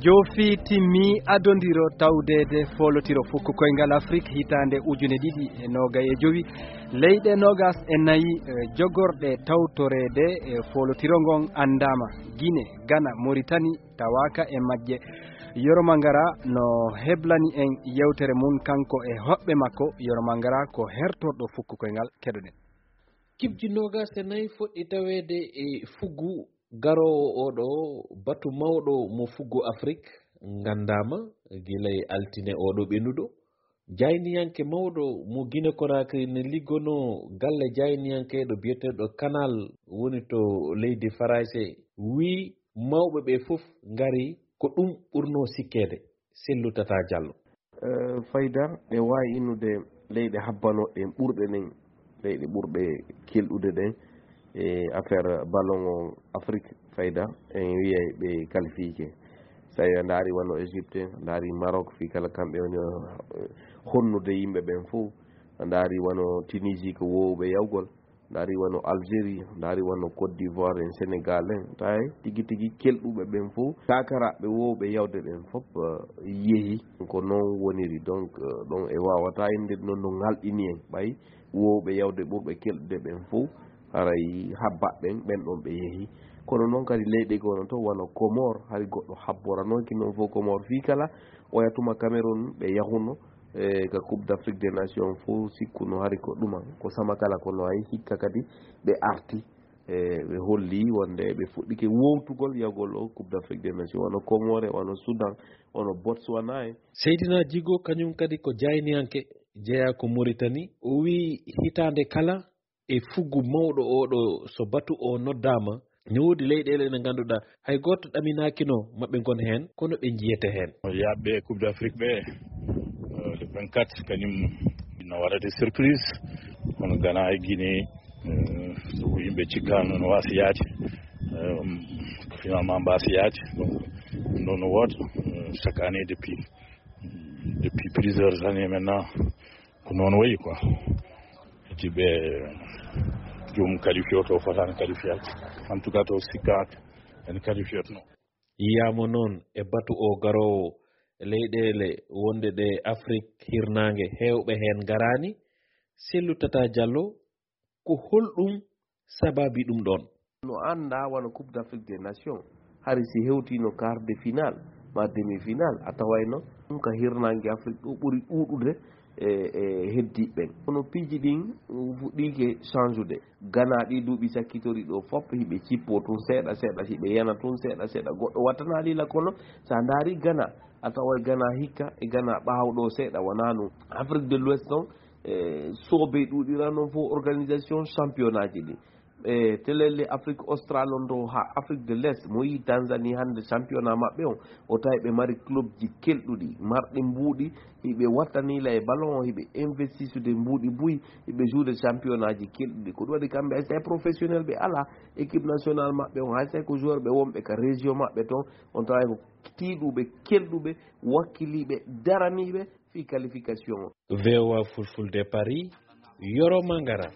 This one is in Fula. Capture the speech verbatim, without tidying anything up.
Joofi timmi adondiro tawdeede foolotiro fukko koyngal Afrik hitaande ujune ɗiɗi e noogay e jowi. Leyɗe noogas e nayi, eh, jogorɗe tawtoreede, eh, foolotiro ngon anndaama. Gine, Gana, Moritani tawaaka e majje. Yoro Mangara no heblani en yewtere mum kanko e hoɓɓe makko. Yoro Mangara ko hertorɗo fukko koyngal, keɗoɗen. Kibji noogas e nayi foɗɗi taweede e fuggu garoowo oɗo batu mawɗo mo fuggu Afrik nganndaama gila e altine oɗo ɓennuɗo. Jayniyanke mawɗo mo Gine Konakri ne liggonoo galle jayniyankeeɗo biyeteeɗo Kanal woni to leydi Farayse wii mawɓe ɓe fof ngari ko ɗum ɓurnoo sikkeede. Sellu Tata Jallo. Eh, fayda, ɗe waawi innude leyɗe habbanooɗe ɗen ɓurɗe ɗen, leyɗe ɓurɓe kelɗude ɗen e affaire ballon o Afrique, fayda, en wiyay ɓe qualifié. So tawi a ndaari wano Égypte, a ndaari Maroc, fii kala kamɓe woni, eh, honnude yimɓe ɓen fof. A ndaari wano Tunisie ko woowɓe yawgol, ndaari wano Algérie, ndaari wano Côte d'Ivoire en, Sénégal en, tawi tigi tigi kelɗuɓe ɓen fof, kakaraaɓe woowɓe yawde ɓen fof, eh, yehi. Ko noon woniri, donc, eh, ɗon e waawata innde noon no ŋalɗini en, ɓay woowɓe yawde ɓurɓe kelɗude ɓen fof, haray habbaɓe ɓen, ɓen ɗon ɓe yehi. Kono noon kadi leyɗe goo noon to wano Comore, hari goɗɗo habboranooki noon fof Comore fii kala, oya tuma Cameroun ɓe yahuno, e ka Coupe d'Afrique des Nations fof sikkuno hari ko ɗuma, ko sama kala ko no ay hikka kadi ɓe arti, e ɓe holli wonde ɓe fuɗɗike wowtugol yahgol o Coupe d'Afrique des Nations, wano Comore, wano Soudan, wano Botswana en. Seydina Djigo kañum kadi ko jayniyanke jeyaa ko Mauritanie. O wii hitaande kala e fuggu mawɗo oɗo so batu o noddaama, ne woodi leyɗeele ɗe ngannduɗaa hay gooto ɗaminaakino maɓɓe ngon heen, kono ɓe njiyete heen. Yaaɓe Coupe d'Afrique ɓe, euh, le vingt-quatre, kañum no waɗa des surprises, kono Ghana e Guinée, euh, so yimɓe cikkaano no waasi yaade, euh, finalement mbaasi yaade. Donc, ɗum ɗo no woota, euh, chaque année depuis, depuis plusieurs années maintenant, ko noon wayi quoi. Eti ɓe joom qualifié o to fotaani qualifié. En tout cas, to sikkaaka en qualifié no. Yiyaama noon e batu o garoowo leyɗeele wonde ɗe Afrik hirnaange heewɓe heen ngaraani. Sellu Tata Jallo, ko holɗum sababi ɗum ɗoon? No anndaa wano Coupe d'Afrique des Nations, hari si hewtiino quart de finale, ma demi-finale, a tawayno ɗum ka hirnaange Afrik ɗo ɓuri ɗuuɗude e, e heddiiɓe ɓen. Kono piiji ɗin fuɗɗiike change-ude. Ghana ɗi duuɓi sakkitori ɗo fof, hiɓe cippoo tun seeɗa seeɗa, hiɓe yana tun seeɗa seeɗa. Goɗɗo wattanaali la kono, so a ndaari Ghana, a taway Ghana hikka e Ghana ɓaawɗo seeɗa, wonaa non. Afrique de l'Ouest on, e, soobee ɗuuɗira noon fof organisation championnat ji ɗi. E telele Afrique Austral on ɗo haa Afrique de l'Est, mo yii Tanzanie hannde championnat maɓɓe on, o tawi ɓe mari club ji kelɗuɗi, marɗi mbuuɗi, hiɓe wattaniila e ballon o, hiɓe investisude mbuuɗi buy, hiɓe jouer championnat ji kelɗuɗi. Ko ɗum waɗi kamɓe hay so tawi professionnel ɓe alaa, équipe nationale maɓɓe on, hay so tawi ko joueur ɓe wonɓe ka région maɓɓe ton, on tawa ko tiiɗuɓe, kelɗuɓe, wakkiliiɓe, daraniiɓe fii qualification o. V O A Fulfulde Paris, Yoro Mangara.